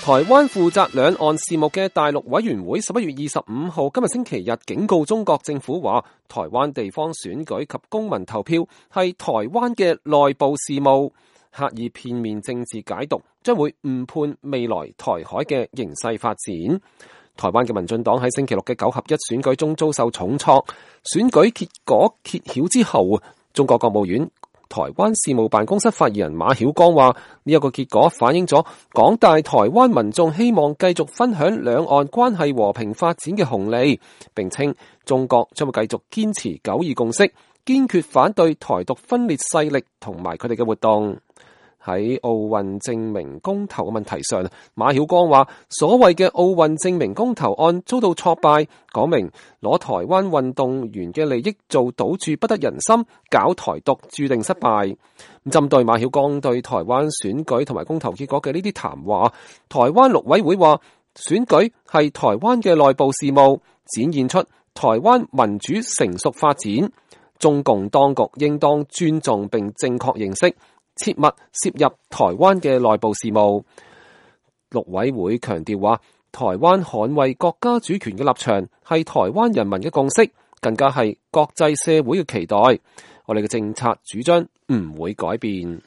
台灣負責兩岸事務嘅大陸委員會11月25號今日星期日警告中國政府話，台灣地方選舉及公民投票係台灣嘅內部事務，刻意片面政治解讀將會誤判未來台海嘅形勢發展。台灣嘅民進黨喺星期六嘅9合1選舉中遭受重挫，選舉結果揭曉之後，中國國務院台灣事務辦公室發言人馬曉光話，呢一個結果反映咗廣大台灣民眾希望繼續分享兩岸關係和平發展嘅紅利，並稱中國將會繼續堅持九二共識，堅決反對台獨分裂勢力同埋佢哋嘅活動。喺奧運證明公投嘅問題上，馬曉光話所謂嘅奧運證明公投案遭到挫敗，講明攞台灣運動員嘅利益做賭注不得人心，搞台獨注定失敗。針對馬曉光對台灣選舉同埋公投結果嘅呢啲談話，台灣陸委會話選舉係台灣嘅內部事務，展現出台灣民主成熟發展，中共當局應當尊重並正確認識，切勿涉入台灣嘅內部事務。陸委會強調話，台灣捍衛國家主權嘅立場係台灣人民嘅共識，更加係國際社會嘅期待。我哋嘅政策主張唔會改變。